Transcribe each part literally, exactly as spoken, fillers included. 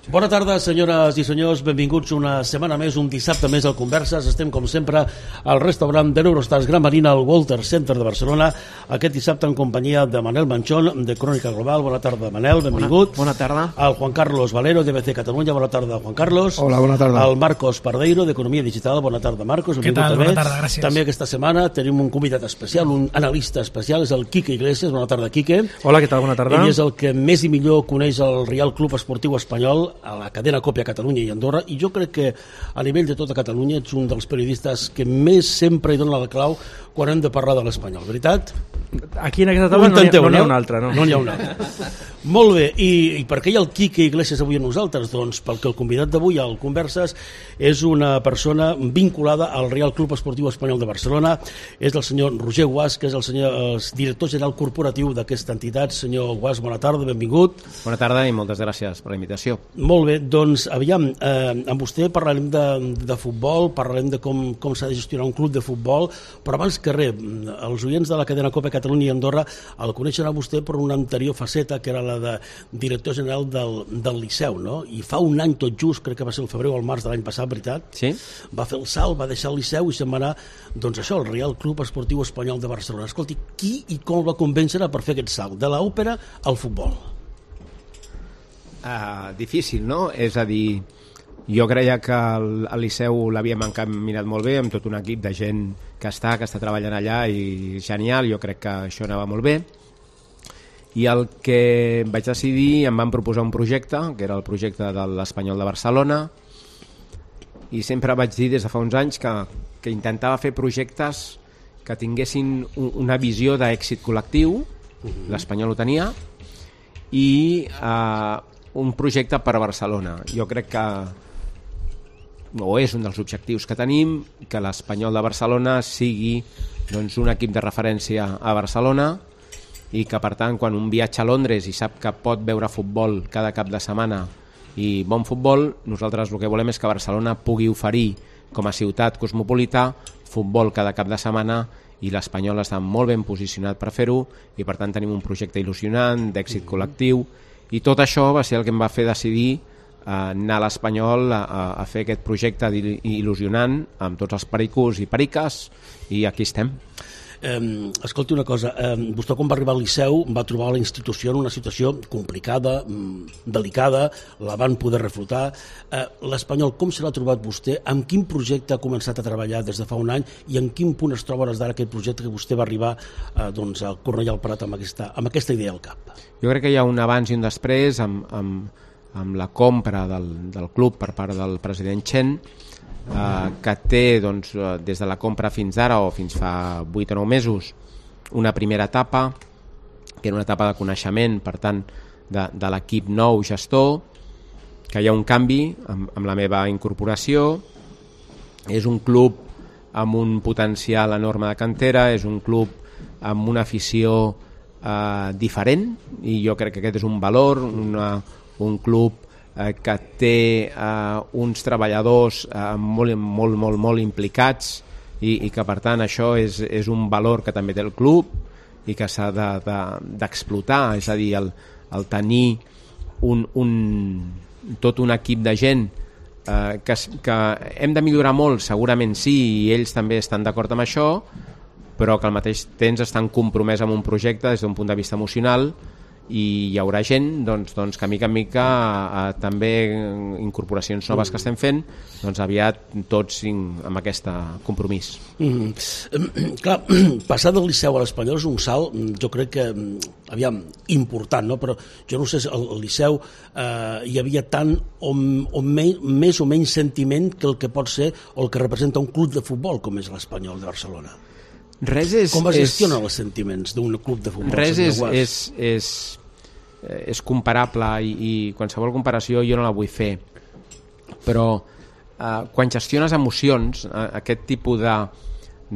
Bona tarda, senyores i senyors, benvinguts una setmana més, un dissabte més al Converses. Estem, com sempre, al restaurant de l'Eurostars Gran Marina, al Walter Center de Barcelona, aquest dissabte en companyia de Manel Manchón, de Crònica Global. Bona tarda, Manel, benvingut. Bona, bona tarda. El Juan Carlos Valero, de B C Catalunya. Bona tarda, Juan Carlos. Hola, bona tarda. El Marcos Pardeiro, d'Economia Digital. Bona tarda, Marcos. Què tal? També. Bona tarda, gràcies. També aquesta setmana tenim un convidat especial, un analista especial, és el Quique Iglesias. Bona tarda, Quique. Hola, què tal? Bona tarda. Ell és el que més i millor coneix el Real Club Esportiu Espanyol, a la cadena Còpia a Catalunya i Andorra, i jo crec que a nivell de tota Catalunya ets un dels periodistes que més sempre hi dona la clau quan hem de parlar de l'Espanyol, veritat? Aquí en aquesta taula no, no, no hi ha un altre, no? No n'hi ha un altre. Molt bé, i, i per què hi ha el Quique Iglesias avui a nosaltres? Doncs perquè el convidat d'avui al Converses és una persona vinculada al Real Club Esportiu Espanyol de Barcelona, és el senyor Roger Guas, que és el, senyor, el director general corporatiu d'aquesta entitat. Senyor Guas, bona tarda, benvingut. Bona tarda i moltes gràcies per la invitació. Molt bé, doncs aviam, eh, amb vostè parlarem de, de futbol, parlarem de com, com s'ha de gestionar un club de futbol, però abans que res, els oients de la cadena Còpia Catalunya i Andorra el coneixen a vostè per una anterior faceta, que era la de director general del, del Liceu, no? I fa un any tot just, crec que va ser el febrer o el març de l'any passat, veritat? Sí. Va fer el salt, va deixar el Liceu i se'n va anar, doncs això, el Real Club Esportiu Espanyol de Barcelona. Escolti, qui i com el va convèncer per fer aquest salt, de l'òpera al futbol? Uh, difícil, no? És a dir, jo creia que el, el Liceu l'havíem encaminat molt bé, amb tot un equip de gent que està, que està treballant allà, i genial, jo crec que això anava molt bé. I el que vaig decidir, em van proposar un projecte, que era el projecte de l'Espanyol de Barcelona, i sempre vaig dir des de fa uns anys que, que intentava fer projectes que tinguessin un, una visió d'èxit col·lectiu, uh-huh. l'Espanyol ho tenia, i uh, un projecte per a Barcelona. Jo crec que o és un dels objectius que tenim, que l'Espanyol de Barcelona sigui, doncs, un equip de referència a Barcelona, i que, per tant, quan un viatja a Londres i sap que pot veure futbol cada cap de setmana i bon futbol, nosaltres el que volem és que Barcelona pugui oferir, com a ciutat cosmopolita, futbol cada cap de setmana, i l'Espanyol està molt ben posicionat per fer-ho, i per tant tenim un projecte il·lusionant, d'èxit col·lectiu, i tot això va ser el que em va fer decidir anar a l'Espanyol a, a fer aquest projecte il·lusionant amb tots els pericos i periques, i aquí estem. Eh, escolti una cosa, eh, vostè quan va arribar al Liceu va trobar la institució en una situació complicada, delicada, la van poder reflotar. Eh, L'Espanyol, com se l'ha trobat vostè? Amb quin projecte ha començat a treballar des de fa un any i en quin punt es troba hores d'ara aquest projecte que vostè va arribar eh, doncs, a Cornellà al Prat amb aquesta, amb aquesta idea al cap? Jo crec que hi ha un abans i un després amb, amb, amb la compra del, del club per part del president Chen, Uh, que té, doncs, uh, des de la compra fins ara o fins fa vuit o nou mesos una primera etapa que era una etapa de coneixement, per tant de, de l'equip nou gestor, que hi ha un canvi amb, amb la meva incorporació. És un club amb un potencial enorme de cantera, és un club amb una afició uh, diferent, i jo crec que aquest és un valor, una, un club que té eh, uns treballadors eh, molt, molt, molt, molt implicats, i, i que, per tant, això és, és un valor que també té el club i que s'ha de, de, d'explotar. És a dir, el, el tenir un, un, tot un equip de gent eh, que, que hem de millorar molt, segurament sí, i ells també estan d'acord amb això, però que al mateix temps estan compromès amb un projecte des d'un punt de vista emocional, i hi haurà gent doncs, doncs, que mica en mica a, a, també incorporacions noves que estem fent, doncs aviat tots amb aquest compromís. Mm-hmm. Clar, passar del Liceu a l'Espanyol és un salt, jo crec que aviam, important, no? Però jo no sé si al Liceu eh, hi havia tant o, o me, més o menys sentiment que el que pot ser o el que representa un club de futbol com és l'Espanyol de Barcelona. Res és, com es gestionen és, els sentiments d'un club de futbol? Res és, és, és, és comparable, i, i qualsevol comparació jo no la vull fer, però eh, quan gestiones emocions, eh, aquest tipus de,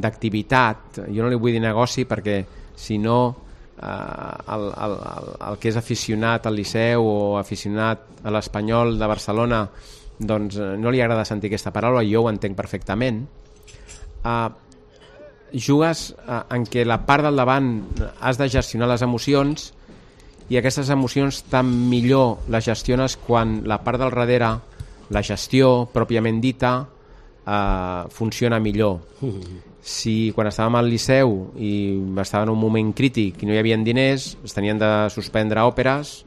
d'activitat, jo no li vull dir negoci perquè si no eh, el, el, el, el que és aficionat al Liceu o aficionat a l'Espanyol de Barcelona, doncs no li agrada sentir aquesta paraula, i jo ho entenc perfectament. eh, jugues en què la part del davant has de gestionar les emocions i aquestes emocions tan millor les gestiones quan la part del darrere, la gestió pròpiament dita, eh, funciona millor. Si quan estàvem al Liceu i estava en un moment crític i no hi havia diners, es tenien de suspendre òperes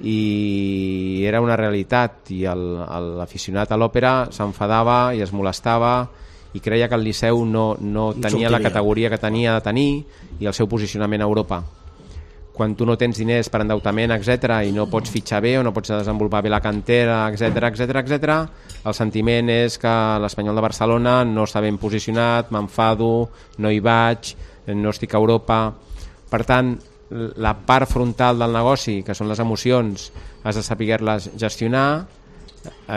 i era una realitat, i l'aficionat a l'òpera s'enfadava i es molestava i creia que el Liceu no, no tenia la categoria que tenia de tenir i el seu posicionament a Europa. Quan tu no tens diners per endeutament, etcètera, i no pots fitxar bé o no pots desenvolupar bé la cantera, etcètera, etcètera, etcètera, el sentiment és que l'Espanyol de Barcelona no està ben posicionat, m'enfado, no hi vaig, no estic a Europa. Per tant, la part frontal del negoci, que són les emocions, has de saber-les gestionar,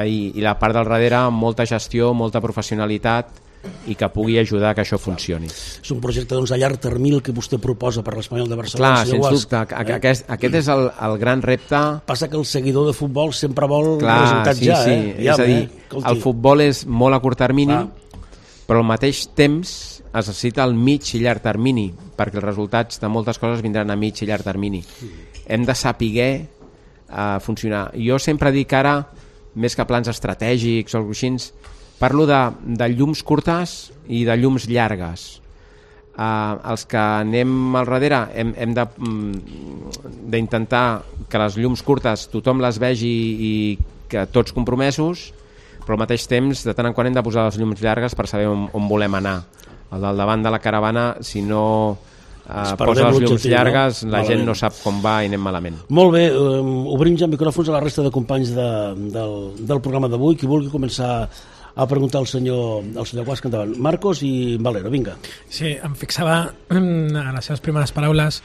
i, i la part del darrere, molta gestió, molta professionalitat, i que pugui ajudar que això funcioni. És un projecte doncs, a llarg termini que vostè proposa per l'Espanyol de Barcelona. Clar, sens dubte, eh? aquest, aquest és el, el gran repte. Passa que el seguidor de futbol sempre vol Clar, resultats sí, ja. Sí. Eh? És a dir, eh? el futbol és molt a curt termini, ah. però al mateix temps es necessita el mig i llarg termini, perquè els resultats de moltes coses vindran a mig i llarg termini. Hem de saber uh, funcionar. Jo sempre dic ara, més que plans estratègics o així, parlo de, de llums curtes i de llums llargues. Uh, els que anem al darrere hem, hem de, d'intentar que les llums curtes tothom les vegi i que tots compromesos, però al mateix temps de tant en quant hem de posar les llums llargues per saber on, on volem anar. El del davant de la caravana, si no uh, posa les llums llargues, no? La gent no sap com va i anem malament. Molt bé, um, obrim ja micròfons a la resta de companys de, del, del programa d'avui. Qui vulgui començar a preguntar al senyor, al senyor Guasca endavant. Marcos i Valero, vinga. Sí, em fixava en les seves primeres paraules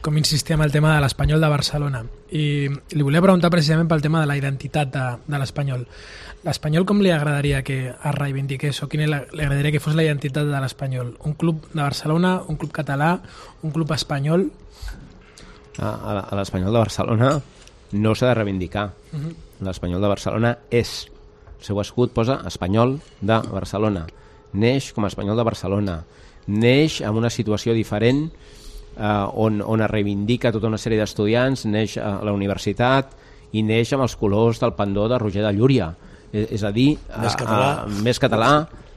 com insistia en el tema de l'Espanyol de Barcelona, i li volia preguntar precisament pel tema de la identitat de, de l'Espanyol. L'Espanyol com li agradaria que es reivindiqués, o quina li agradaria que fos la identitat de l'Espanyol? Un club de Barcelona, un club català, un club espanyol? A, a l'Espanyol de Barcelona no s'ha de reivindicar. Uh-huh. L'Espanyol de Barcelona és, el seu escut posa Espanyol de Barcelona, neix com a Espanyol de Barcelona, neix en una situació diferent, eh, on, on es reivindica tota una sèrie d'estudiants, neix a la universitat i neix amb els colors del pendó de Roger de Llúria, és, és a dir, més català, a, a, més català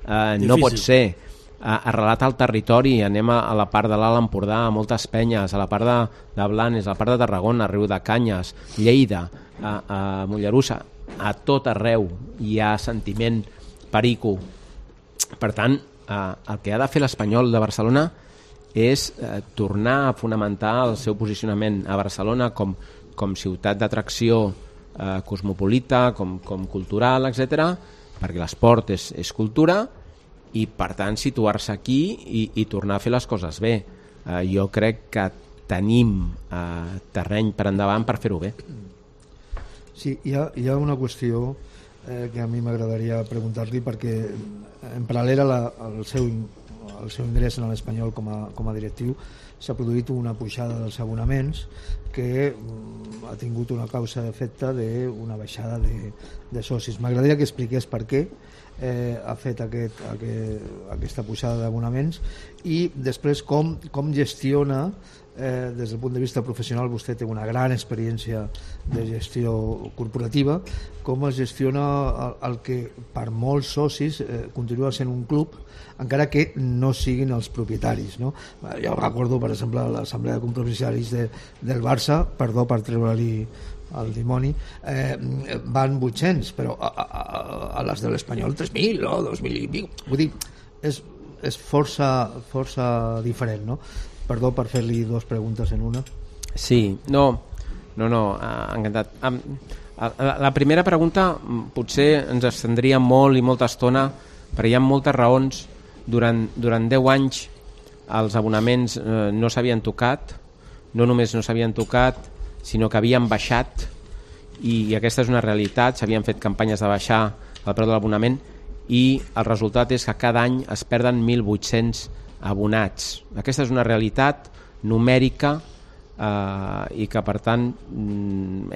eh, no pot ser. Arrelat al territori, anem a, a la part de l'Alt Empordà, a moltes penyes, a la part de, de Blanes, a la part de Tarragona, Riu de Canyes, Lleida, a, a Mollerussa, a tot arreu hi ha sentiment perico. Per tant, eh, el que ha de fer l'Espanyol de Barcelona és eh, tornar a fonamentar el seu posicionament a Barcelona com, com ciutat d'atracció eh, cosmopolita, com, com cultural, etcètera, perquè l'esport és, és cultura, i per tant situar-se aquí i, i tornar a fer les coses bé. Eh, jo crec que tenim eh, terreny per endavant per fer-ho bé. Sí, hi ha, hi ha una qüestió eh, que a mi m'agradaria preguntar-li, perquè en paral·lel a la, al, seu, al seu ingrés en l'Espanyol com a, com a directiu s'ha produït una pujada dels abonaments que mm, ha tingut una causa d'efecte d'una baixada de, de socis. M'agradaria que expliqués per què eh, ha fet aquest, aquest, aquesta pujada d'abonaments, i després com, com gestiona Eh, des del punt de vista professional. Vostè té una gran experiència de gestió corporativa, com es gestiona el, el que per molts socis eh, continua sent un club, encara que no siguin els propietaris, no? Jo recordo, per exemple, l'assemblea de compromissaris de, del Barça, perdó per treure-li el dimoni, eh, van vuit-cents, però a, a, a les de l'Espanyol tres mil o dos mil i pico. Vull dir, és, és força, força diferent, no? Perdó per fer-li dues preguntes en una. Sí, no, no, no, encantat. La primera pregunta potser ens estendria molt i molta estona, perquè hi ha moltes raons. Durant, durant deu anys els abonaments eh, no s'havien tocat, no només no s'havien tocat, sinó que havien baixat, i, i aquesta és una realitat. S'havien fet campanyes de baixar el preu de l'abonament, i el resultat és que cada any es perden mil vuit-cents abonats. Aquesta és una realitat numèrica eh, i que per tant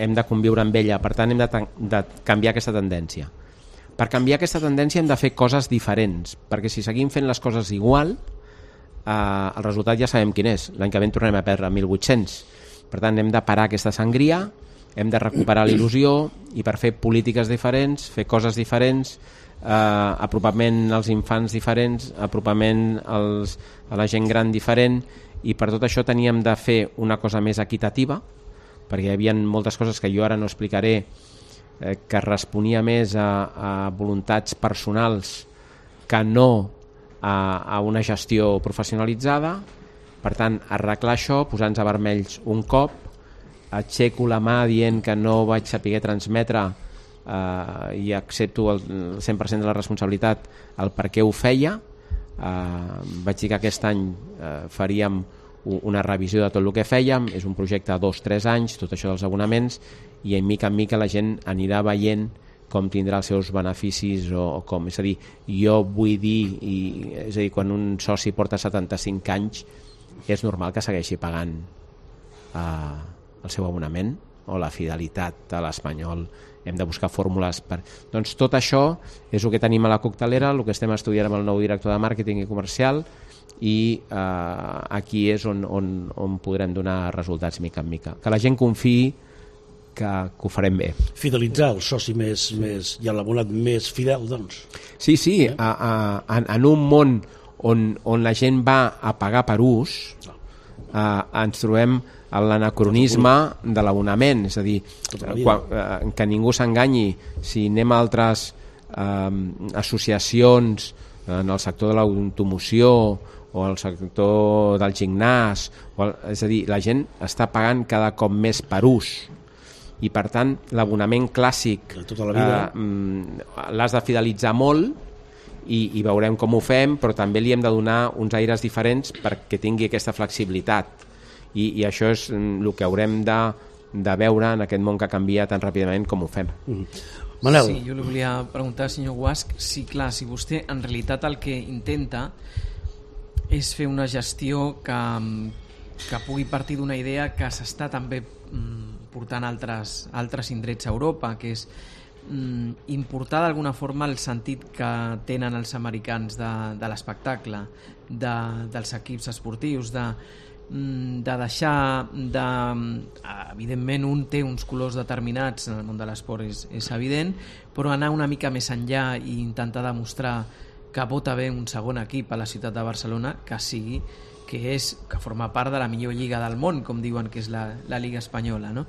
hem de conviure amb ella. Per tant hem de, de canviar aquesta tendència. Per canviar aquesta tendència hem de fer coses diferents, perquè si seguim fent les coses igual, eh, el resultat ja sabem quin és. L'any que ve en tornem a perdre mil vuit-cents, Per tant, hem de parar aquesta sangria, hem de recuperar la il·lusió i per fer polítiques diferents, fer coses diferents, eh, apropament als infants diferents, apropament als, a la gent gran diferent, i per tot això teníem de fer una cosa més equitativa, perquè hi havia moltes coses que jo ara no explicaré, eh, que responia més a, a voluntats personals que no a, a una gestió professionalitzada. Per tant, arreglar això, posar-nos a vermells un cop, aixeco la mà dient que no vaig saber transmetre eh, i accepto el cent per cent de la responsabilitat el per què ho feia. Eh, vaig dir que aquest any eh, faríem una revisió de tot el que fèiem, és un projecte de dos o tres anys, tot això dels abonaments, i en mica en mica la gent anirà veient com tindrà els seus beneficis o, o com. És a dir, jo vull dir, i, és a dir, quan un soci porta setanta-cinc anys, és normal que segueixi pagant eh, el seu abonament o la fidelitat a l'Espanyol. Hem de buscar fórmules per... Doncs tot això és el que tenim a la coctelera, el que estem estudiant amb el nou director de màrqueting i comercial, i eh, aquí és on, on, on podrem donar resultats mica en mica. Que la gent confiï que, que ho farem bé. Fidelitzar el soci més, més i l'abonat més fidel, doncs. Sí, sí, eh? a, a, en, en un món on, on la gent va a pagar per ús, eh, ens trobem en l'anacronisme de l'abonament, és a dir, quan, eh, que ningú s'enganyi. Si anem a altres eh, associacions en el sector de l'automoció o el sector del gimnàs, o el, és a dir, la gent està pagant cada cop més per ús, i per tant l'abonament clàssic tota la vida eh, l'has de fidelitzar molt, i, i veurem com ho fem, però també li hem de donar uns aires diferents perquè tingui aquesta flexibilitat, i, i això és el que haurem de, de veure en aquest món que canvia tan ràpidament com ho fem. Mm. Manel. Sí, jo li volia preguntar, senyor Guasch, si clar, si vostè en realitat el que intenta és fer una gestió que, que pugui partir d'una idea que s'està també mm, portant altres, altres indrets a Europa, que és mm, importar d'alguna forma el sentit que tenen els americans de, de l'espectacle, de, dels equips esportius, de, de deixar de... Evidentment un té uns colors determinats en el món de l'esport, és, és evident, però anar una mica més enllà i intentar demostrar que pot haver un segon equip a la ciutat de Barcelona que sigui, que és que forma part de la millor lliga del món, com diuen que és la, la Lliga Espanyola, no?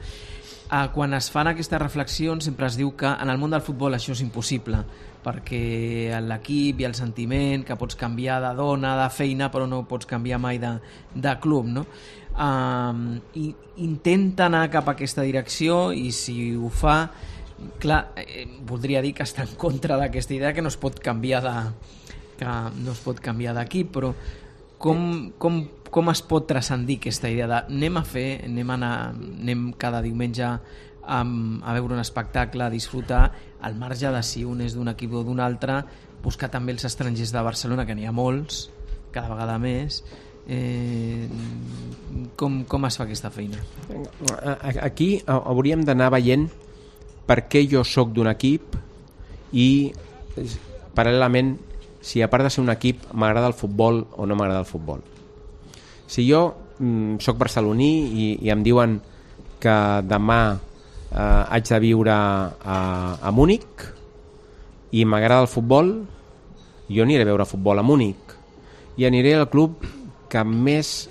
Eh, quan es fan aquestes reflexions sempre es diu que en el món del futbol això és impossible, perquè l'equip i el sentiment, que pots canviar de dona, de feina, però no pots canviar mai de, de club, no? Eh, i intenta anar cap a aquesta direcció, i si ho fa, clar, eh, voldria dir que està en contra d'aquesta idea, que no es pot canviar de, que no es pot canviar d'equip, però com, com, com es pot transcendir aquesta idea de anem a fer, anem a anar, anem cada diumenge a, a veure un espectacle, a disfrutar, al marge de si un és d'un equip o d'un altre, buscar també els estrangers de Barcelona, que n'hi ha molts, cada vegada més. Eh, com, com es fa aquesta feina? Aquí hauríem d'anar veient per què jo sóc d'un equip i paral·lelament si a part de ser un equip m'agrada el futbol o no m'agrada el futbol. Si jo mm, sóc barceloní i, i em diuen que demà eh, haig de viure a, a Múnich i m'agrada el futbol, jo aniré a veure futbol a Múnich i aniré al club que més,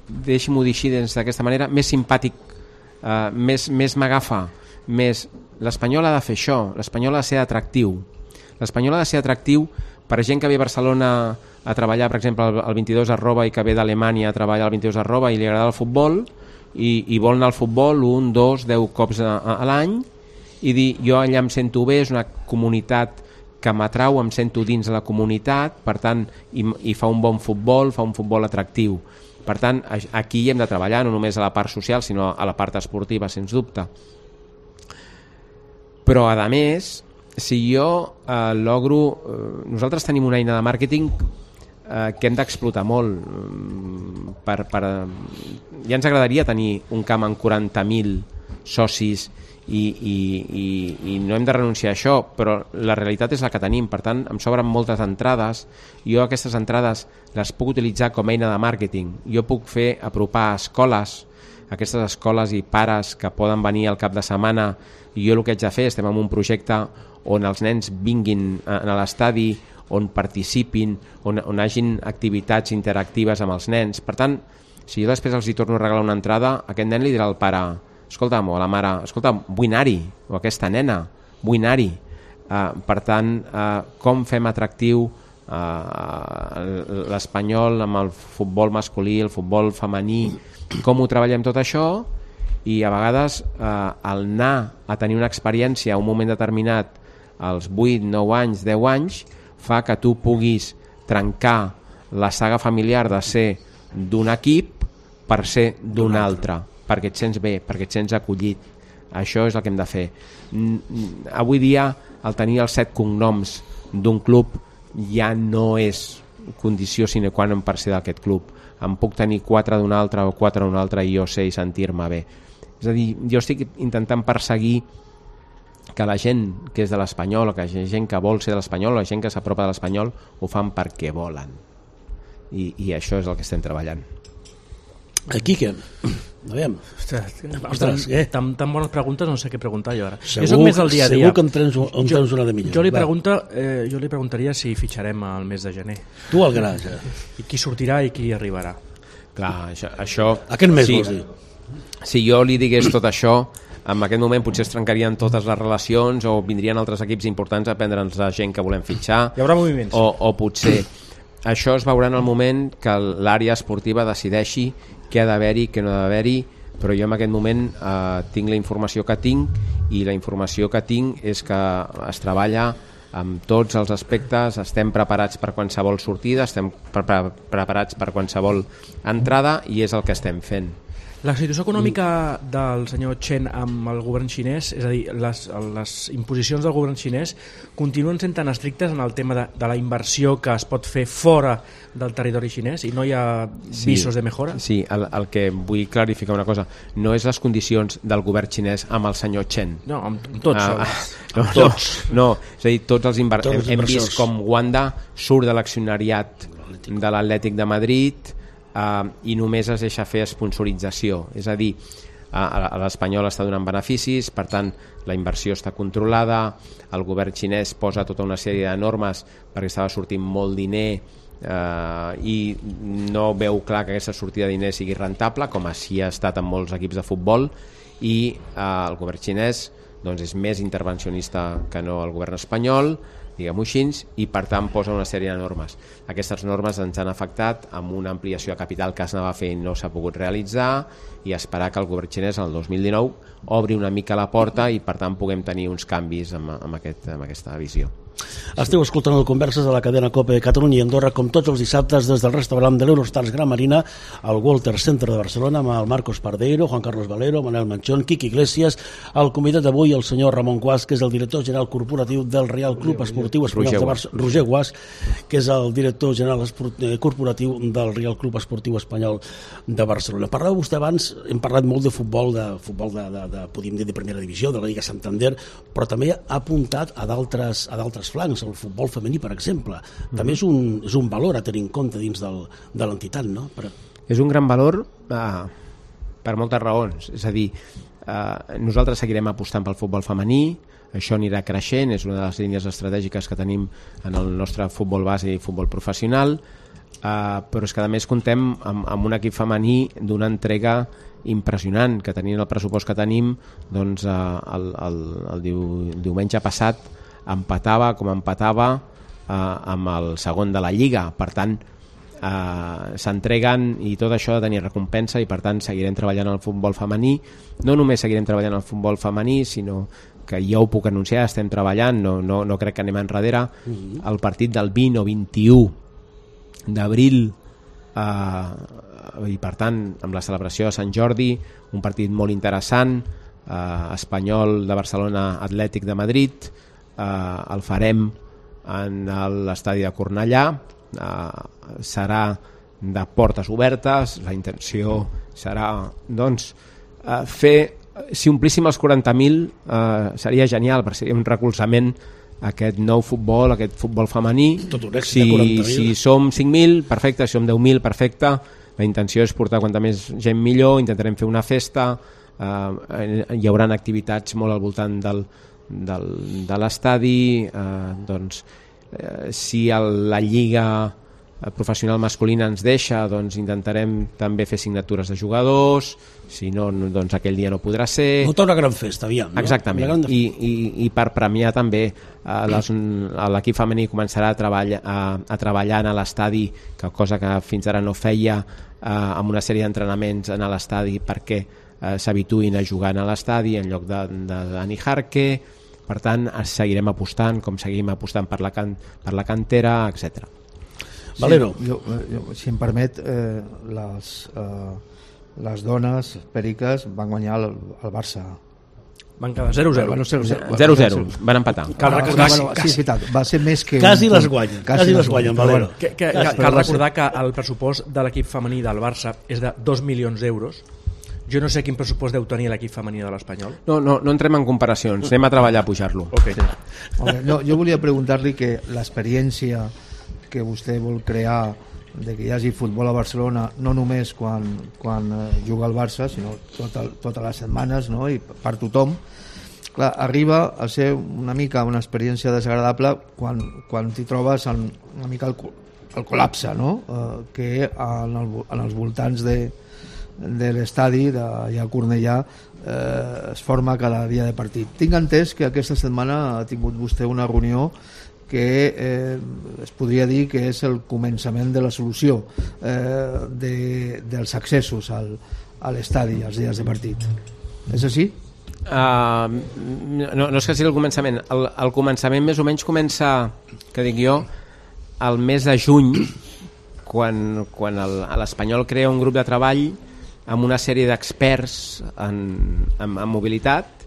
deixi-m'ho dir així d'aquesta manera, més simpàtic, eh, més, més m'agafa, més... L'Espanyol ha de fer això, l'Espanyol ha de ser atractiu. L'Espanyol ha de ser atractiu per gent que ve a Barcelona a treballar, per exemple, al vint-i-dos arroba i que ve d'Alemanya a treballar al vint-i-dos arroba i li agrada el futbol i, i vol anar al futbol un, dos, deu cops a, a, a l'any i dir, jo allà em sento bé, és una comunitat que m'atrau, em sento dins de la comunitat, per tant, i, i fa un bon futbol, fa un futbol atractiu. Per tant, aquí hi hem de treballar, no només a la part social, sinó a la part esportiva, sens dubte. Però, a més, si jo eh, logro... Eh, nosaltres tenim una eina de màrqueting eh, que hem d'explotar molt. Per, per, ja ens agradaria tenir un camp amb quaranta mil socis i, i, i, i no hem de renunciar a això, però la realitat és la que tenim. Per tant, em sobren moltes entrades. Jo aquestes entrades les puc utilitzar com a eina de màrqueting. Jo puc fer apropar escoles aquestes escoles i pares que poden venir al cap de setmana, i jo el que haig de fer, estem en un projecte on els nens vinguin a l'estadi, on participin, on, on hagin activitats interactives amb els nens. Per tant, si jo després els hi torno a regalar una entrada, aquest nen li dirà al pare, escolta'm, o a la mare, escolta'm, vull anar-hi, o aquesta nena, vull anar-hi. Uh, per tant, uh, com fem atractiu uh, l'espanyol amb el futbol masculí, el futbol femení, com ho treballem tot això, i a vegades eh, el anar a tenir una experiència a un moment determinat als vuit, nou anys, deu anys, fa que tu puguis trencar la saga familiar de ser d'un equip per ser d'un altre, perquè et sents bé, perquè et sents acollit. Això és el que hem de fer. Avui dia el tenir els set cognoms d'un club ja no és condició sine qua non per ser d'aquest club. Em puc tenir quatre d'un altre o quatre d'un altre i jo sé i sentir-me bé. És a dir, jo estic intentant perseguir que la gent que és de l'Espanyol, o que la gent que vol ser de l'Espanyol, o la gent que s'apropa de l'Espanyol, ho fan perquè volen. I, i això és el que estem treballant. Quique, a veure. Ostres, eh? tan, tan bones preguntes, no sé què preguntar jo ara. Segur, jo soc més del dia a dia. Segur que en tens, en tens una de millor. Jo li, pregunta, eh, jo li preguntaria si fitxarem al mes de gener. Tu al gras, eh? I qui sortirà i qui arribarà. Clar, això... això Aquest mes sí, vols dir? Si jo li digués tot això, en aquest moment potser es trencarien totes les relacions o vindrien altres equips importants a prendre'ns la gent que volem fitxar. Hi haurà moviments. O, o potser això es veurà en el moment que l'àrea esportiva decideixi què ha d'haver-hi, què no ha d'haver-hi, però jo en aquest moment eh, tinc la informació que tinc, i la informació que tinc és que es treballa amb tots els aspectes, estem preparats per qualsevol sortida, estem pre pre preparats per qualsevol entrada, i és el que estem fent. La situació econòmica del senyor Chen amb el govern xinès, és a dir, les, les imposicions del govern xinès continuen sent tan estrictes en el tema de, de la inversió que es pot fer fora del territori xinès i no hi ha visos sí, de mejora? Sí, el, el que vull clarificar una cosa, no és les condicions del govern xinès amb el senyor Chen. No, amb, amb tots. Ah, els... no, tots. No, no, és a dir, tots els inver... tots els hem, hem vist com Wanda surt de l'accionariat de l'Atlètic de Madrid, Uh, i només es deixa fer sponsorització, és a dir, uh, l'Espanyol està donant beneficis, per tant la inversió està controlada, el govern xinès posa tota una sèrie de normes perquè estava sortint molt diner uh, i no veu clar que aquesta sortida de diner sigui rentable, com així ha estat en molts equips de futbol, i uh, el govern xinès doncs, és més intervencionista que no el govern espanyol, diguem-ho així, i per tant posa una sèrie de normes. Aquestes normes ens han afectat amb una ampliació de capital que es anava a fer i no s'ha pogut realitzar, i esperar que el govern xinès el dos mil dinou obri una mica la porta i per tant puguem tenir uns canvis amb, amb, aquest, amb aquesta visió. Esteu escoltant el Converses de la cadena COPE Catalunya i Andorra, com tots els dissabtes des del restaurant de l'Eurostars Gran Marina al Walter Center de Barcelona, amb el Marcos Pardeiro, Juan Carlos Valero, Manel Manchón, Quique Iglesias, el convidat d'avui el senyor Ramon Guas, que és el director general corporatiu del Real Club Esportiu Espanyol de Barcelona, Roger Guas, que és el director general corporatiu del Real Club Esportiu Espanyol de Barcelona. Parlava vostè abans, hem parlat molt de futbol, de futbol de, de, de podríem dir de primera divisió, de la Lliga Santander, però també ha apuntat a d'altres a d'altres flancs, el futbol femení, per exemple. També és un, és un valor a tenir en compte dins del, de l'entitat, no? Per... És un gran valor eh, per moltes raons. És a dir, eh, nosaltres seguirem apostant pel futbol femení, això anirà creixent, és una de les línies estratègiques que tenim en el nostre futbol base i futbol professional, eh, però és que a més contem amb, amb un equip femení d'una entrega impressionant, que tenint el pressupost que tenim, doncs eh, el, el, el, diu, el diumenge passat empatava com empatava eh, amb el segon de la Lliga. Per tant, eh, s'entreguen i tot això ha de tenir recompensa, i per tant seguirem treballant al futbol femení. No només seguirem treballant al futbol femení, sinó que ja ho puc anunciar, estem treballant, no, no, no crec que anem enrere, mm-hmm. el partit del vint o vint-i-u d'abril, eh, i per tant amb la celebració de Sant Jordi, un partit molt interessant, eh, Espanyol de Barcelona, Atlètic de Madrid, Uh, el farem en l'estadi de Cornellà, uh, serà de portes obertes, la intenció serà doncs, uh, fer, si omplíssim els quaranta mil uh, seria genial, perquè seria un recolzament a aquest nou futbol, aquest futbol femení. Tot un èxit si, de quaranta mil. Si som cinc mil, perfecte, si som deu mil, perfecte, la intenció és portar quanta més gent millor, intentarem fer una festa, eh, hi haurà activitats molt al voltant del, del, de l'estadi, eh, doncs eh, si el, la lliga professional masculina ens deixa, doncs intentarem també fer signatures de jugadors, si no, doncs aquell dia no podrà ser. Muntar una gran festa, aviam. No? Exactament, gran... I, i, i per premiar també eh, les, l'equip femení començarà a, treball, a, a treballar a l'estadi, que cosa que fins ara no feia, eh, amb una sèrie d'entrenaments a l'estadi perquè eh, s'habituïn a jugar a l'estadi en lloc de, de Dani Jarque. Per tant, seguirem apostant, com seguim apostant per la, can, per la cantera, etcètera. Valero. Sí, jo, jo, si em permet, eh, les, eh, les dones periques van guanyar el, el Barça. Van quedar zero zero. Bueno, zero zero, van empatar. Cal recordar, ah, bueno, sí, és veritat, va ser més que... Quasi un, les guanyen, quasi, quasi les guanyen, Valero. Que, que, que, cal recordar que el pressupost de l'equip femení del Barça és de dos milions d'euros. Jo no sé quin pressupost deu tenir l'equip femení de l'Espanyol. No, no, no entrem en comparacions, anem a treballar a pujar-lo. Okay. Sí. No, jo volia preguntar-li que l'experiència que vostè vol crear de que hi hagi futbol a Barcelona no només quan, quan juga al Barça, sinó tot el, totes les setmanes, no? I per tothom, clar, arriba a ser una mica una experiència desagradable quan, quan t'hi trobes en, una mica el, el col·lapse, no? Eh, que en, el, en els voltants de, de l'estadi d'allà a Cornellà eh, es forma cada dia de partit. Tinc entès que aquesta setmana ha tingut vostè una reunió que eh, es podria dir que és el començament de la solució eh, de, dels accessos al, a l'estadi els dies de partit. És així? Uh, no, no és que sigui el començament. El, el començament més o menys comença, que dic jo, el mes de juny, quan, quan el, l'Espanyol crea un grup de treball amb una sèrie d'experts en, en, en mobilitat.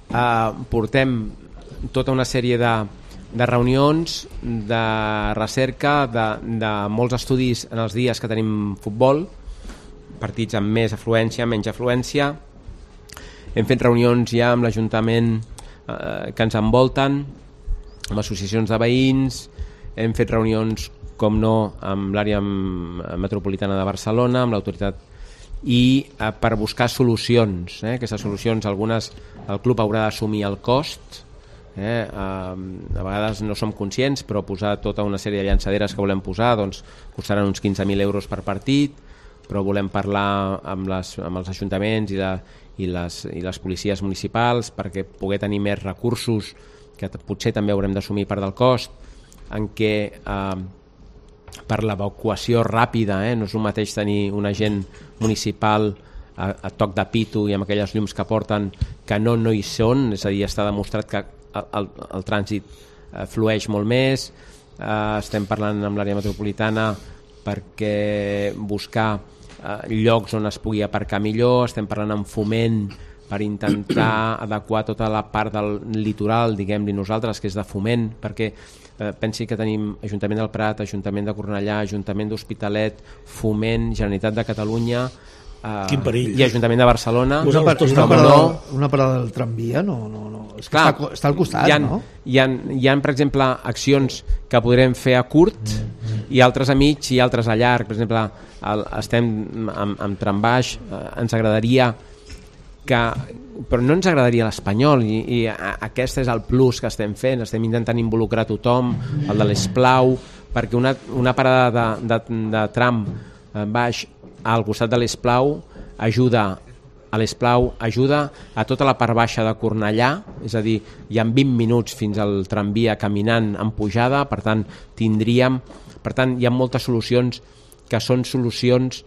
Uh, portem tota una sèrie de de reunions, de recerca, de, de molts estudis en els dies que tenim futbol, partits amb més afluència, menys afluència. Hem fet reunions ja amb l'Ajuntament eh, que ens envolten, amb associacions de veïns, hem fet reunions, com no, amb l'àrea metropolitana de Barcelona, amb l'autoritat, i eh, per buscar solucions. Eh? Aquestes solucions, algunes el club haurà d'assumir el cost, Eh, a vegades no som conscients, però posar tota una sèrie de llançaderes que volem posar doncs costaran uns quinze mil euros per partit, però volem parlar amb, les, amb els ajuntaments i, la, i, les, i les policies municipals perquè poder tenir més recursos que potser també haurem d'assumir part del cost, en què eh, per l'evacuació ràpida, eh, no és el mateix tenir un agent municipal a, a toc de pito i amb aquelles llums que porten que no, no hi són, és a dir, està demostrat que el, el, el trànsit eh, flueix molt més. Eh, estem parlant amb l'àrea metropolitana perquè buscar eh, llocs on es pugui aparcar millor, estem parlant amb Foment per intentar adequar tota la part del litoral, diguem-li nosaltres, que és de Foment, perquè eh, pensi que tenim Ajuntament del Prat, Ajuntament de Cornellà, Ajuntament d'Hospitalet, Foment, Generalitat de Catalunya, Uh, quin perill. I Ajuntament de Barcelona. Una, par una, parada, una parada del tramvia no, no, no. És que Clar, està, està al costat, hi ha, no? Hi ha, hi ha, per exemple, accions que podrem fer a curt i altres a mig i altres a llarg. Per exemple, el, estem amb, amb trambaix, eh, ens agradaria que... Però no ens agradaria l'Espanyol i, i a, aquest és el plus que estem fent. Estem intentant involucrar tothom, el de l'Esplau, perquè una, una parada de, de, de tram eh, baix al costat de l'Esplau ajuda a l'Esplau ajuda a tota la part baixa de Cornellà, és a dir, hi ha vint minuts fins al tramvia caminant en pujada, per tant tindríem, per tant hi ha moltes solucions que són solucions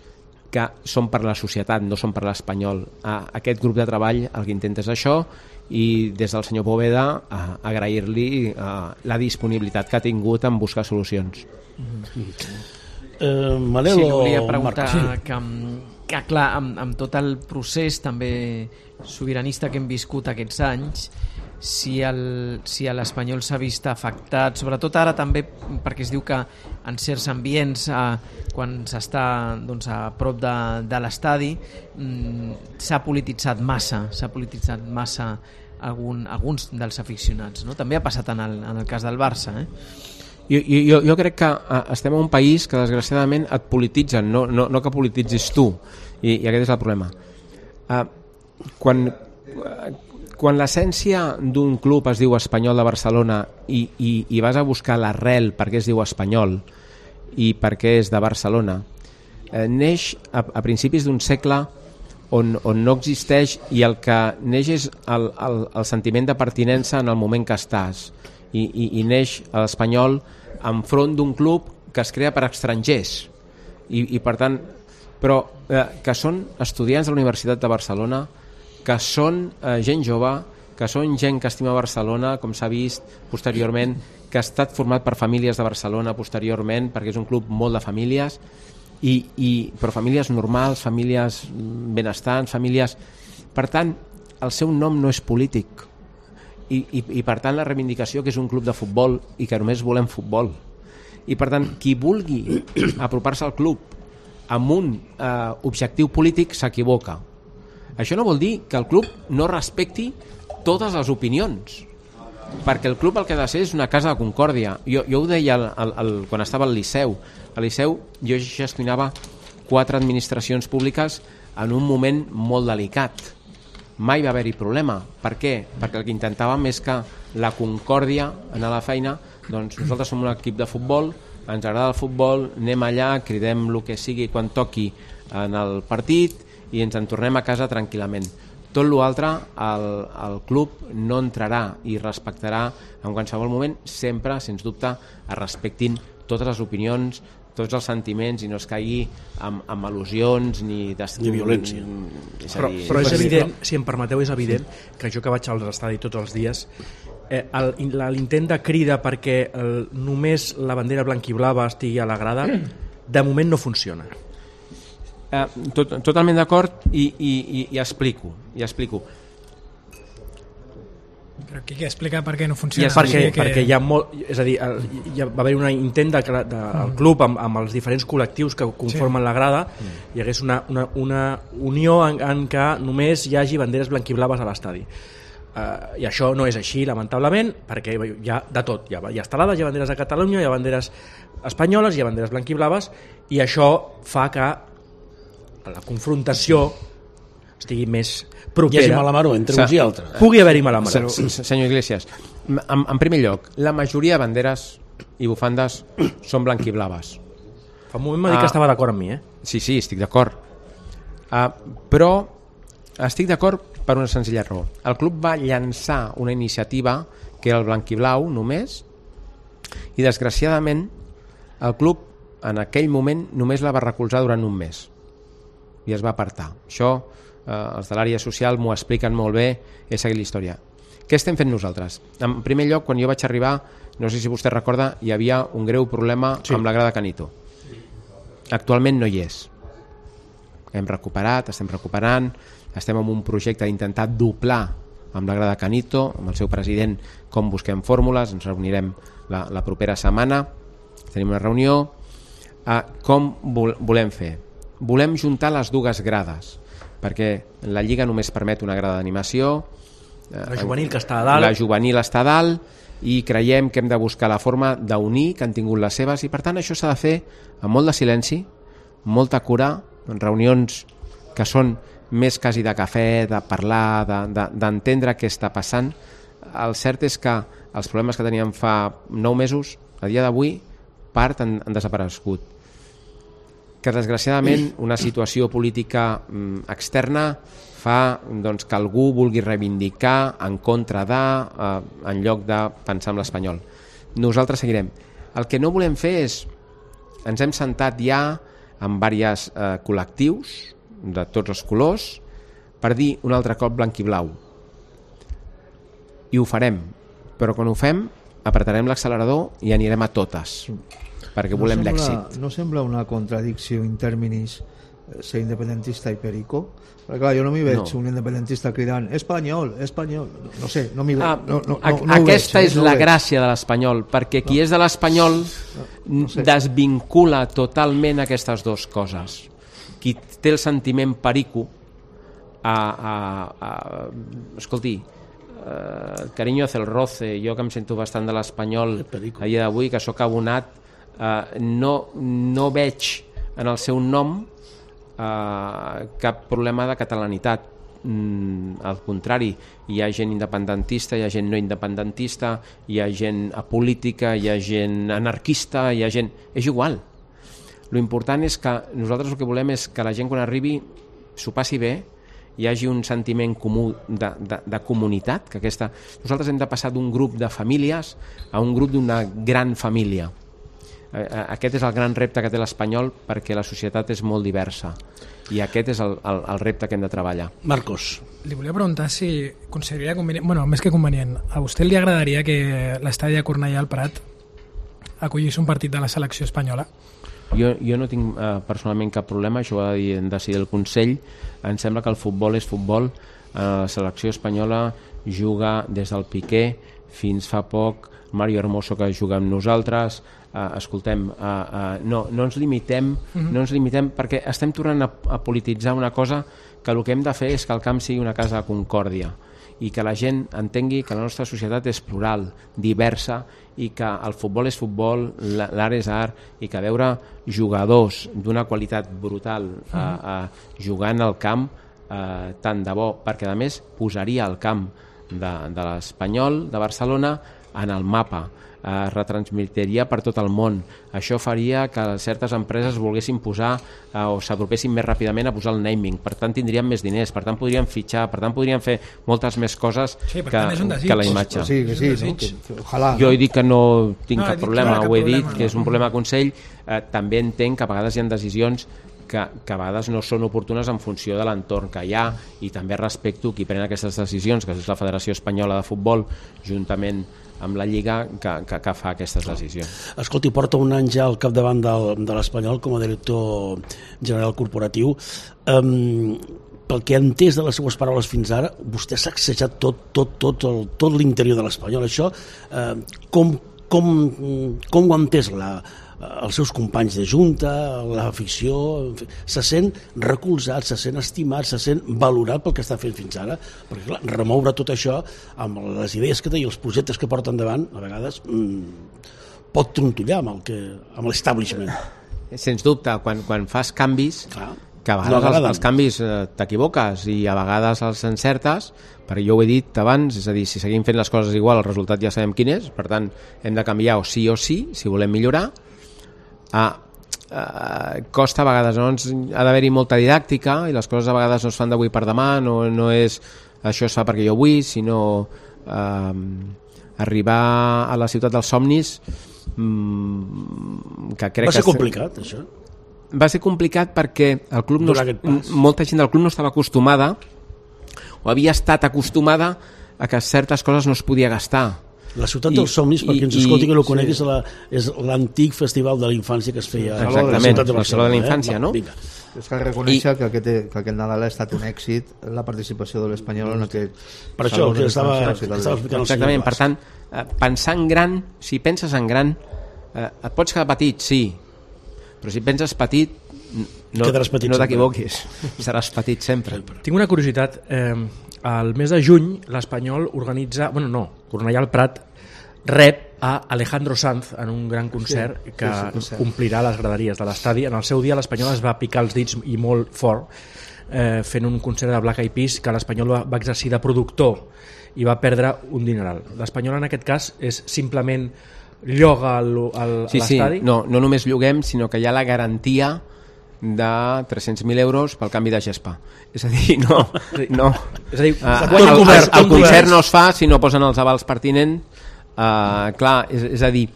que són per la societat, no són per l'Espanyol. Aquest grup de treball el que intenta és això, i des del senyor Poveda agrair-li la disponibilitat que ha tingut en buscar solucions. Mm-hmm. Eh, Manel, sí, volia preguntar sí. que, que clar, amb, amb tot el procés també sobiranista que hem viscut aquests anys, si el, si l'Espanyol s'ha vist afectat, sobretot ara també perquè es diu que en certs ambients eh, quan s'està doncs, a prop de, de l'estadi mm, s'ha polititzat massa s'ha polititzat massa algun, alguns dels aficionats, no? També ha passat en el, en el cas del Barça, eh? Jo, jo, jo crec que estem en un país que desgraciadament et polititzen, no, no, no que polititzis tu, i, i aquest és el problema. Uh, quan, quan l'essència d'un club es diu Espanyol de Barcelona i, i, i vas a buscar l'arrel per què es diu Espanyol i per què és de Barcelona, eh, neix a, a principis d'un segle on, on no existeix, i el que neix és el, el, el sentiment de pertinença en el moment que estàs, i, i, i neix l'Espanyol enfront d'un club que es crea per estrangers, i, i per tant, però eh, que són estudiants de la Universitat de Barcelona, que són eh, gent jove, que són gent que estima Barcelona, com s'ha vist posteriorment, que ha estat format per famílies de Barcelona posteriorment, perquè és un club molt de famílies, i, i, però famílies normals, famílies benestants, famílies... Per tant, el seu nom no és polític, i, i, i per tant la reivindicació que és un club de futbol i que només volem futbol. I per tant, qui vulgui apropar-se al club amb un eh, objectiu polític s'equivoca. Això no vol dir que el club no respecti totes les opinions, perquè el club el que ha de ser és una casa de concòrdia. Jo, jo ho deia el, el, el, quan estava al Liceu. Al Liceu jo gestionava quatre administracions públiques en un moment molt delicat. Mai va haver-hi problema. Per què? Perquè el que intentàvem és que la concòrdia en la feina, doncs nosaltres som un equip de futbol, ens agrada el futbol, anem allà, cridem el que sigui quan toqui en el partit i ens en tornem a casa tranquil·lament. Tot l'altre, el, el club no entrarà i respectarà en qualsevol moment, sempre, sens dubte, es respectin totes les opinions, tots els sentiments, i no es caigui amb, amb al·lusions ni, ni violència. És però, dir, però és evident, si em permeteu, és evident que jo que vaig als estadis tots els dies, eh, l'intent de crida perquè el, només la bandera blanquiblava estigui a la grada, de moment no funciona. Eh, tot, totalment d'acord, i, i, i, i explico, i explico. Però qui explica per què no funciona? Perquè, que... perquè hi ha molt, és a dir, hi ha, va haver un intent de, de, del club amb, amb els diferents col·lectius que conformen sí. la grada, mm. hi hagués una, una, una unió en, en què només hi hagi banderes blanquiblaves a l'estadi. Uh, I això no és així, lamentablement, perquè hi ha de tot. Hi ha, hi ha estelades, hi ha banderes de Catalunya, hi ha banderes espanyoles, hi ha banderes blanquiblaves, i això fa que la confrontació estigui més propera. Hi hagi malamaró entre uns i altres. Pugui haver-hi malamaró. Senyor Iglesias, en, en primer lloc, la majoria de banderes i bufandes són blanquiblaves. Fa un moment m'ha dit ah, que estava d'acord amb mi, eh? Sí, sí, estic d'acord. Uh, però estic d'acord per una senzilla raó. El club va llançar una iniciativa que era el blanquiblau només, i desgraciadament el club en aquell moment només la va recolzar durant un mes i es va apartar. Això eh, els de l'àrea social m'ho expliquen molt bé, he seguit la història. Què estem fent nosaltres? En primer lloc, quan jo vaig arribar, no sé si vostè recorda, hi havia un greu problema sí. amb la grada Canito. Actualment no hi és. Hem recuperat, estem recuperant, estem en un projecte d'intentar doblar amb la grada Canito, amb el seu president, com busquem fórmules, ens reunirem la, la propera setmana, tenim una reunió. Eh, com vol, volem fer? Volem juntar les dues grades, perquè la Lliga només permet una grada d'animació, la juvenil que està a dalt, la juvenil està a dalt, i creiem que hem de buscar la forma d'unir, que han tingut les seves, i per tant això s'ha de fer amb molt de silenci, molta cura, en reunions que són més quasi de cafè, de parlar, d'entendre de, de, què està passant. El cert és que els problemes que teníem fa nou mesos, a dia d'avui, part han, han desaparegut. Que desgraciadament una situació política mm, externa fa doncs, que algú vulgui reivindicar en contra de, eh, en lloc de pensar en l'Espanyol. Nosaltres seguirem. El que no volem fer és, ens hem sentat ja amb diversos eh, col·lectius de tots els colors per dir un altre cop blanc i blau. I ho farem, però quan ho fem apretarem l'accelerador i anirem a totes, perquè no volem l'èxit. No sembla una contradicció in terminis ser independentista i perico? Perquè clar, jo no m'hi veig no. un independentista cridant espanyol, espanyol, no sé, no m'hi veig. Ah, no, no, no, no aquesta veig, és no la gràcia de l'espanyol, perquè qui no. és de l'espanyol no, no sé. desvincula totalment aquestes dues coses. Qui té el sentiment perico a, a, a, escolti, eh, carinyo hace el roce, jo que em sento bastant de l'Espanyol a dia d'avui, que sóc abonat, eh, no, no veig en el seu nom eh, cap problema de catalanitat. Mm, al contrari, hi ha gent independentista, hi ha gent no independentista, hi ha gent apolítica, hi ha gent anarquista, hi ha gent... És igual. Lo important és que nosaltres el que volem és que la gent quan arribi s'ho passi bé, hi hagi un sentiment comú de, de, de comunitat, que aquesta... Nosaltres hem de passar d'un grup de famílies a un grup d'una gran família. Aquest és el gran repte que té l'Espanyol, perquè la societat és molt diversa i aquest és el, el, el repte que hem de treballar. Marcos. Li volia preguntar si consideraria convenient, bueno, més que convenient, a vostè li agradaria que l'estadi de Cornellà al Prat acollís un partit de la selecció espanyola? Jo, jo no tinc eh, personalment cap problema, això ho ha de decidir el Consell. Em sembla que el futbol és futbol. Eh, la selecció espanyola juga des del Piqué fins fa poc, Mario Hermoso que juga amb nosaltres. Uh, escoltem, uh, uh, no, no ens limitem, uh-huh. no ens limitem perquè estem tornant a, a polititzar una cosa que el que hem de fer és que el camp sigui una casa de concòrdia i que la gent entengui que la nostra societat és plural, diversa i que el futbol és futbol, l'art és art i que veure jugadors d'una qualitat brutal uh, uh, jugant al camp uh, tant de bo, perquè a més posaria el camp de, de l'Espanyol, de Barcelona, en el mapa, es retransmitiria per tot el món. Això faria que certes empreses volguessin posar eh, o s'apropessin més ràpidament a posar el naming, per tant tindríem més diners, per tant podríem fitxar, per tant podríem fer moltes més coses sí, que, que la imatge. Sí, que sí, no? que, que, ojalà, jo he no? dit que no tinc no, cap problema, clar, ho he problema, dit, que és un problema de Consell. Eh, també entenc que a vegades hi ha decisions que, que a vegades no són oportunes en funció de l'entorn que hi ha, i també respecto qui pren aquestes decisions, que és la Federació Espanyola de Futbol, juntament amb la Lliga, que, que, que fa aquestes decisions. Escolti, porta un any ja al capdavant del, de l'Espanyol com a director general corporatiu. Um, pel que he entès de les seues paraules fins ara, vostè s'ha sacsejat tot, tot, tot, el, tot l'interior de l'Espanyol. Això, uh, com, com, com ho ha entès la, els seus companys de junta, l'afició, se sent recolzat, se sent estimat, se sent valorat pel que està fent fins ara, perquè clar, remoure tot això amb les idees que té i els projectes que porta endavant, a vegades mmm, pot trontollar amb el que, amb l'establishment. Sens dubte, quan, quan fas canvis, clar, que a vegades no els, els canvis eh, t'equivoques i a vegades els encertes, perquè jo ho he dit abans, és a dir, si seguim fent les coses igual, el resultat ja sabem quin és, per tant hem de canviar o sí o sí, si volem millorar. Ah, eh, costa a vegades, no? Ha d'haver-hi molta didàctica i les coses a vegades no es fan d'avui per demà, no, no és això es fa perquè jo vull, sinó eh, arribar a la ciutat dels somnis, mm, que crec va ser que complicat això? Va ser complicat perquè el club no, molta gent del club no estava acostumada o havia estat acostumada a que certes coses no es podia gastar. La ciutat dels somnis, perquè ens escolti que no ho conegui, sí. és l'antic festival de la infància que es feia exactament, a la ciutat de la Saló de la Infància, eh? no? Vinga. És que reconèixer I... que, aquest, que aquest Nadal ha estat un èxit la participació de l'Espanyol en aquest per això que estava, estava explicant exactament, per tant, pensar en gran, si penses en gran eh, et pots quedar petit, sí, però si penses petit no, petit no t'equivoquis, seràs petit sempre. Tinc una curiositat, eh, al mes de juny l'Espanyol organitza, bueno no, Cornellà al Prat rep a Alejandro Sanz en un gran concert sí, que sí, sí, omplirà les graderies de l'estadi. En el seu dia l'Espanyol es va picar els dits i molt fort eh, fent un concert de Black Eyed Peas que l'Espanyol va, va exercir de productor i va perdre un dineral. L'Espanyol en aquest cas és simplement lloga el, el, sí, l'estadi? Sí, no, no només lloguem, sinó que hi ha la garantia de tres-cents mil euros pel canvi de gespa. És a dir, no, no. És a dir, uh, el, el, el, el concert no es fa si no posen els avals pertinents. Uh, clar, és, és a dir,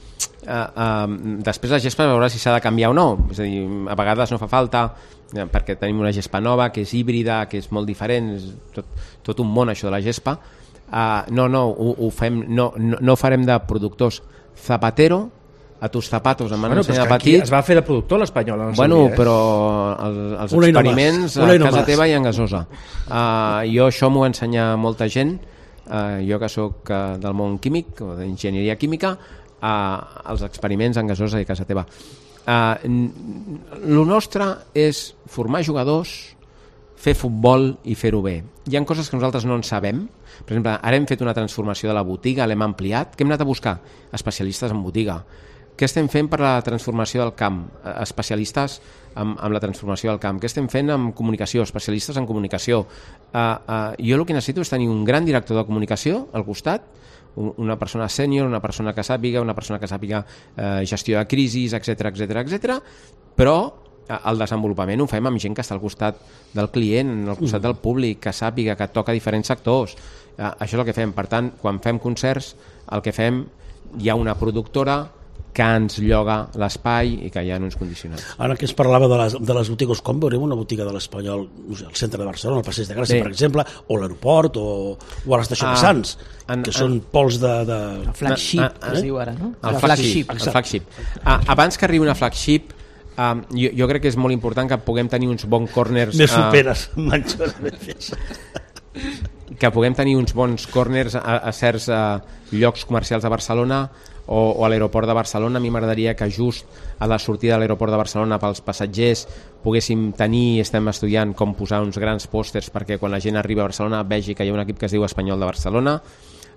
uh, uh, després la gespa veurà si s'ha de canviar o no. És a dir, a vegades no fa falta uh, perquè tenim una gespa nova que és híbrida, que és molt diferent, és tot, tot un món això de la gespa. Uh, no, no, ho, ho fem, no, no, no farem de productors. Zapatero a tus zapatos, em van bueno, ensenyar petit. petit. Es va fer de productor l'Espanyol. Bueno, dia, eh? però el, els una experiments no a casa teva i en gasosa. Uh, jo això m'ho ensenya molta gent. Uh, jo que sóc uh, del món químic o d'enginyeria química, uh, els experiments en gasosa i casa teva. Uh, el nostre és formar jugadors, fer futbol i fer-ho bé. Hi ha coses que nosaltres no en sabem. Per exemple, ara hem fet una transformació de la botiga, l'hem ampliat. Què hem anat a buscar? Especialistes en botiga. Què estem fent per la transformació del camp? Especialistes amb, amb la transformació del camp. Què estem fent amb comunicació? Especialistes en comunicació. Uh, uh, jo el que necessito és tenir un gran director de comunicació al costat, una persona sènior, una persona que sàpiga, una persona que sàpiga eh, gestió de crisis, etcètera, etcètera, etcètera, però el desenvolupament ho fem amb gent que està al costat del client, al costat del públic, que sàpiga, que toca diferents sectors. Eh, això és el que fem. Per tant, quan fem concerts, el que fem, hi ha una productora que ens lloga l'espai i que hi ha uns condicionants. Ara que es parlava de les, de les botigues, com veurem una botiga de l'Espanyol, no sé, al centre de Barcelona, al Passeig de Gràcia, Bé. per exemple, o a l'aeroport, o, o a l'estació ah, de Sants, en, que en, són pols de... de... El flagship, ah, ah, es diu ara, no? El flagship. El flagship. Ah, abans que arribi una flagship, ah, jo, jo crec que és molt important que puguem tenir uns bons corners... Me superes, ah, manxo, que puguem tenir uns bons corners a, a certs a, llocs comercials de Barcelona o, o a l'aeroport de Barcelona. A mi m'agradaria que just a la sortida de l'aeroport de Barcelona pels passatgers poguéssim tenir, estem estudiant com posar uns grans pòsters perquè quan la gent arriba a Barcelona vegi que hi ha un equip que es diu Espanyol de Barcelona.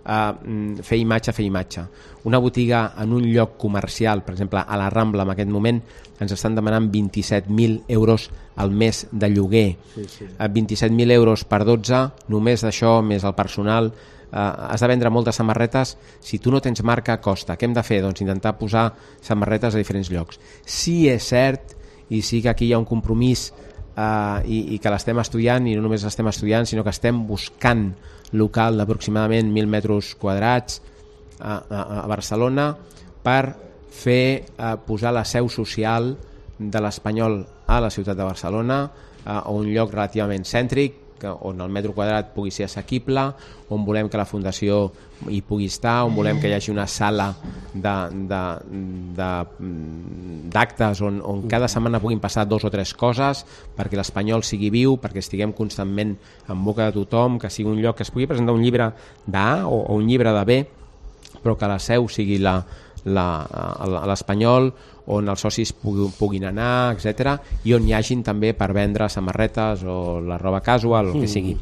Uh, fer imatge, fer imatge. Una botiga en un lloc comercial, per exemple a la Rambla en aquest moment, ens estan demanant vint-i-set mil euros al mes de lloguer. Sí, sí. Uh, vint-i-set mil euros per dotze, només d'això, més el personal. Uh, has de vendre moltes samarretes. Si tu no tens marca, costa. Què hem de fer? Doncs intentar posar samarretes a diferents llocs. Sí és cert, i sí que aquí hi ha un compromís uh, i, i que l'estem estudiant, i no només l'estem estudiant, sinó que estem buscant local d'aproximadament mil metres quadrats a, a, a Barcelona per fer eh, posar la seu social de l'Espanyol a la ciutat de Barcelona, eh, a un lloc relativament cèntric, que, on el metre quadrat pugui ser assequible, on volem que la Fundació hi pugui estar, on volem que hi hagi una sala d'actes on, on cada setmana puguin passar dos o tres coses perquè l'Espanyol sigui viu, perquè estiguem constantment en boca de tothom, que sigui un lloc que es pugui presentar un llibre d'A o, o un llibre de B, però que la seu sigui la, la, l'Espanyol, on els socis puguin anar, etcètera, i on hi hagin també per vendre samarretes o la roba casual, el que sigui.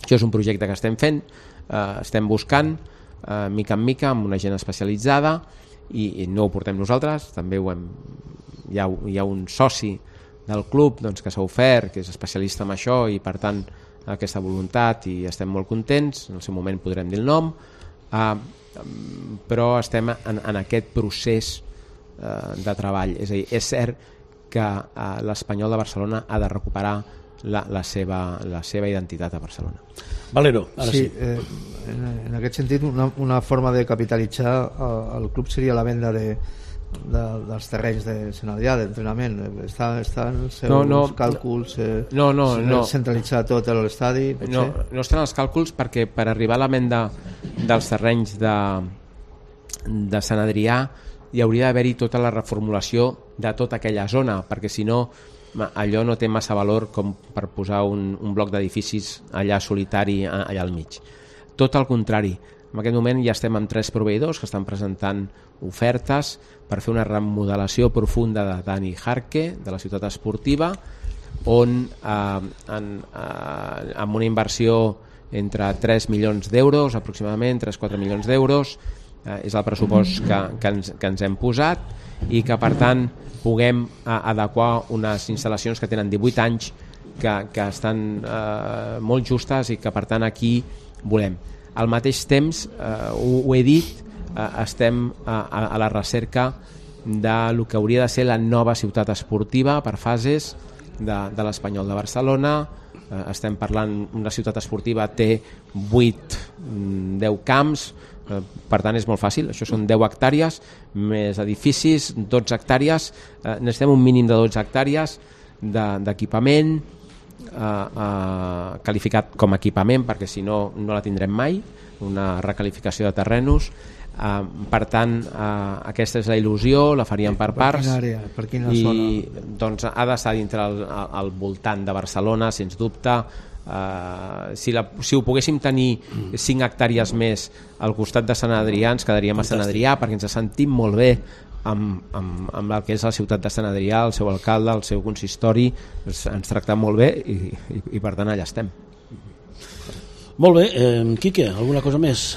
Això és un projecte que estem fent, eh, estem buscant eh, mica en mica amb una gent especialitzada i, i no ho portem nosaltres, també ho hem, hi, ha, hi ha un soci del club doncs, que s'ha ofert, que és especialista en això i per tant aquesta voluntat i estem molt contents, en el seu moment podrem dir el nom, eh, però estem en, en aquest procés de treball. És a dir, és cert que eh, l'Espanyol de Barcelona ha de recuperar la, la, seva, la seva identitat a Barcelona. Valero, ara sí. sí. Eh, en, en aquest sentit, una, una forma de capitalitzar eh, el club seria la venda de, de, dels terrenys de Sant Adrià, d'entrenament. Està, estan els seus no, no, càlculs eh, no, no, no. centralitzar tot l'estadi? No, no estan els càlculs perquè per arribar a la venda dels terrenys de, de Sant Adrià hi hauria d'haver-hi tota la reformulació de tota aquella zona, perquè si no allò no té massa valor com per posar un, un bloc d'edificis allà solitari allà al mig. Tot el contrari, en aquest moment ja estem amb tres proveïdors que estan presentant ofertes per fer una remodelació profunda de Dani Jarque, de la ciutat esportiva, on eh, en, eh, amb una inversió entre tres milions d'euros aproximadament, tres a quatre milions d'euros, eh, és el pressupost que, que, ens, que ens hem posat i que per tant puguem eh, adequar unes instal·lacions que tenen divuit anys que, que estan eh, molt justes i que per tant aquí volem. Al mateix temps, eh, ho, ho he dit, eh, estem a, a, a la recerca de lo que hauria de ser la nova ciutat esportiva per fases de, de l'Espanyol de Barcelona. Eh, estem parlant, una ciutat esportiva té vuit deu camps, eh, per tant és molt fàcil, això són deu hectàrees més edificis, dotze hectàrees, eh, necessitem un mínim de dotze hectàrees d'equipament eh, eh, qualificat com a equipament perquè si no no la tindrem mai, una requalificació de terrenos. Uh, per tant uh, aquesta és la il·lusió, la faríem per parts. Per quina àrea? Per quina i, zona? Doncs ha d'estar dintre el, al voltant de Barcelona, sens dubte. Uh, si, la, si ho poguéssim tenir cinc hectàrees més al costat de Sant Adrià, ens quedaríem a Sant Adrià perquè ens sentim molt bé amb, amb, amb el que és la ciutat de Sant Adrià, el seu alcalde, el seu consistori, ens, ens tracten molt bé i, i, i per tant allà estem. Molt bé, eh, Quique, alguna cosa més?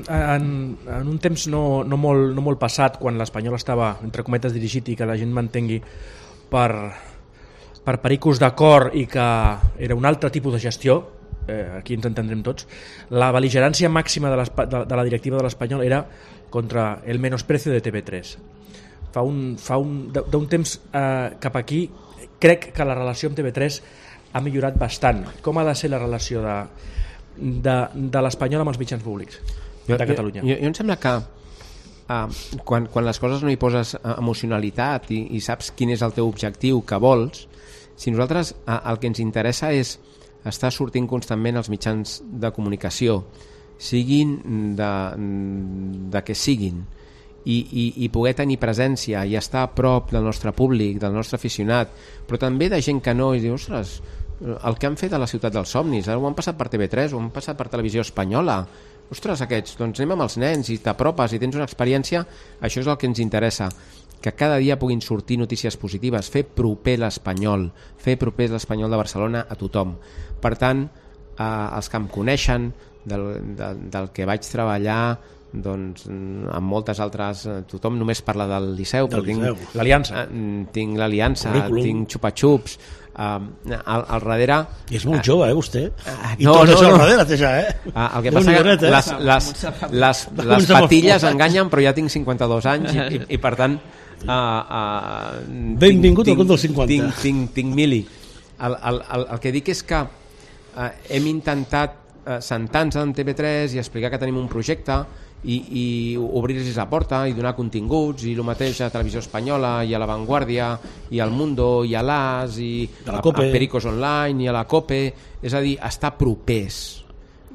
En, en un temps no, no, molt, no molt passat, quan l'Espanyol estava, entre cometes, dirigit i que la gent m'entengui per, per pericos d'acord i que era un altre tipus de gestió, eh, aquí ens entendrem tots, la bel·ligerància màxima de, de, de la directiva de l'Espanyol era contra el menosprecio de T V tres. Fa un, fa un, d'un temps eh, cap aquí crec que la relació amb T V tres ha millorat bastant. Com ha de ser la relació de, de, de l'Espanyol amb els mitjans públics de Catalunya? Jo, jo, jo em sembla que uh, quan, quan les coses no hi poses emocionalitat i, i saps quin és el teu objectiu que vols, si nosaltres uh, el que ens interessa és estar sortint constantment als mitjans de comunicació, siguin de, de què siguin, i, i, i poder tenir presència i estar a prop del nostre públic, del nostre aficionat, però també de gent que no, i dius, ostres, el que han fet a la ciutat dels somnis, ara ho han passat per T V tres, ho han passat per Televisió Espanyola, ostres, aquests, doncs anem amb els nens i t'apropes i tens una experiència, això és el que ens interessa, que cada dia puguin sortir notícies positives, fer proper l'Espanyol, fer proper l'Espanyol de Barcelona a tothom. Per tant, eh, els que em coneixen, del, del, del que vaig treballar, doncs amb moltes altres, tothom només parla del Liceu, del però Liceu. tinc l'Aliança, eh, tinc l'Aliança, Currículum. tinc xupa-xups, eh, al, al darrere I és molt jove, eh, vostè? eh, I no, tot no, això no. al darrere té ja, eh? eh, el que Déu passa n'hi que do net, eh? les, les, les, les patilles enganyen, però ja tinc cinquanta-dos anys i, i, i per tant uh, uh, benvingut tinc, al club dels cinquanta. tinc, tinc, tinc mili. El, el, el, el que dic és que uh, hem intentat uh, sentar-nos en T V tres i explicar que tenim un projecte i, i obrir-los la porta i donar continguts, i el mateix a Televisió Espanyola i a La Vanguardia i al Mundo i a l'As i a, a, a Pericos Online i a la COPE, és a dir, estar propers,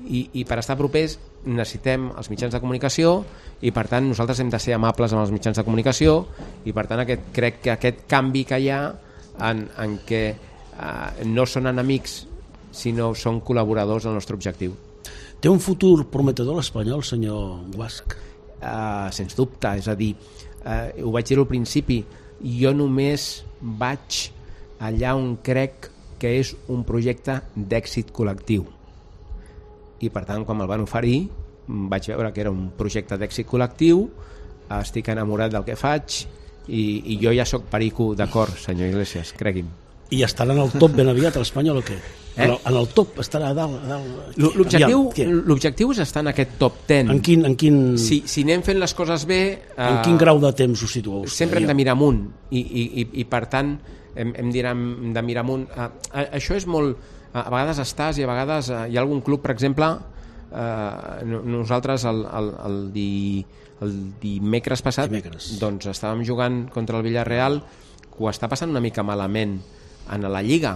i, i per estar propers necessitem els mitjans de comunicació, i per tant nosaltres hem de ser amables amb els mitjans de comunicació, i per tant aquest, crec que aquest canvi que hi ha en, en què eh, no són enemics sinó són col·laboradors del nostre objectiu. Té un futur prometedor l'Espanyol, senyor Guasch? Uh, sens dubte, és a dir, uh, ho vaig dir al principi, jo només vaig allà on crec que és un projecte d'èxit col·lectiu, i per tant quan me'l van oferir vaig veure que era un projecte d'èxit col·lectiu, estic enamorat del que faig i, i jo ja sóc perico, d'acord, senyor Iglesias, cregui'm. I estarà en el top ben aviat a l'Espanyol o què? Eh? En, el, en el top estarà a dalt, a dalt. L'objectiu, Aviam, l'objectiu és estar en aquest top deu. en quin, en quin, Si, si anem fent les coses bé... en eh, quin grau de temps ho situeu? sempre hem de mirar amunt i, i, i, i per tant hem, hem de mirar amunt. Uh, uh, això és molt... Uh, a vegades estàs i a vegades uh, hi ha algun club, per exemple, uh, nosaltres el, el, el, di, el dimecres passat Dimecres. doncs estàvem jugant contra el Villarreal, que ho està passant una mica malament en la Lliga,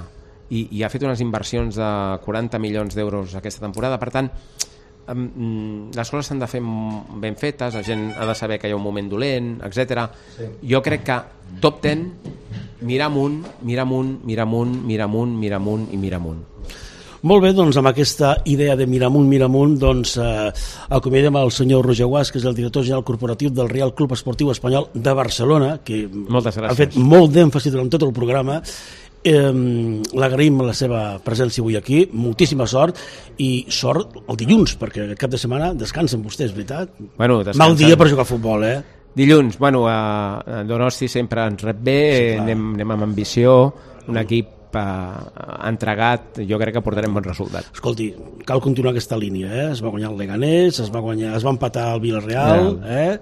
i, i ha fet unes inversions de quaranta milions d'euros aquesta temporada. Per tant, um, les coses s'han de fer ben fetes, la gent ha de saber que hi ha un moment dolent, etcètera. Sí. Jo crec que top deu, mirar amunt, mirar amunt, mirar amunt, mirar amunt, mirar amunt i mirar amunt. Molt bé, doncs amb aquesta idea de mirar amunt, mirar amunt, doncs eh, acomiadem el senyor Roger Guasch, que és el director general corporatiu del Real Club Esportiu Espanyol de Barcelona, que Moltes gràcies. ha fet molt d'èmfasi durant tot el programa. Eh, l'agraïm la seva presència avui aquí, moltíssima sort, i sort el dilluns, perquè el cap de setmana descansen vostès, veritat? Bueno, descansen. Mal dia per jugar a futbol, eh? Dilluns, bueno, a Donosti sempre ens rep bé, sí, anem, anem amb ambició, un equip eh, entregat, jo crec que portarem bons resultats. Escolti, cal continuar aquesta línia, eh? Es va guanyar el Leganés, es va, guanyar, es va empatar el Villarreal, eh?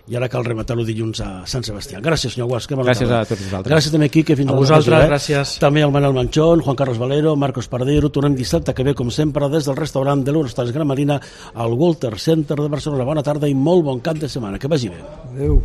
I ara cal rematar-ho dilluns a Sant Sebastià. Gràcies, senyor Guasch. Gràcies a tots vosaltres. Gràcies també, Quique. Fins a vosaltres, eh? gràcies. També al Manel Manchón, Juan Carlos Valero, Marcos Pardero. Tornem dissabte que ve, com sempre, des del restaurant de l'Eurostars Gran Marina al Walter Center de Barcelona. Bona tarda i molt bon cap de setmana. Que vagi bé. Adéu.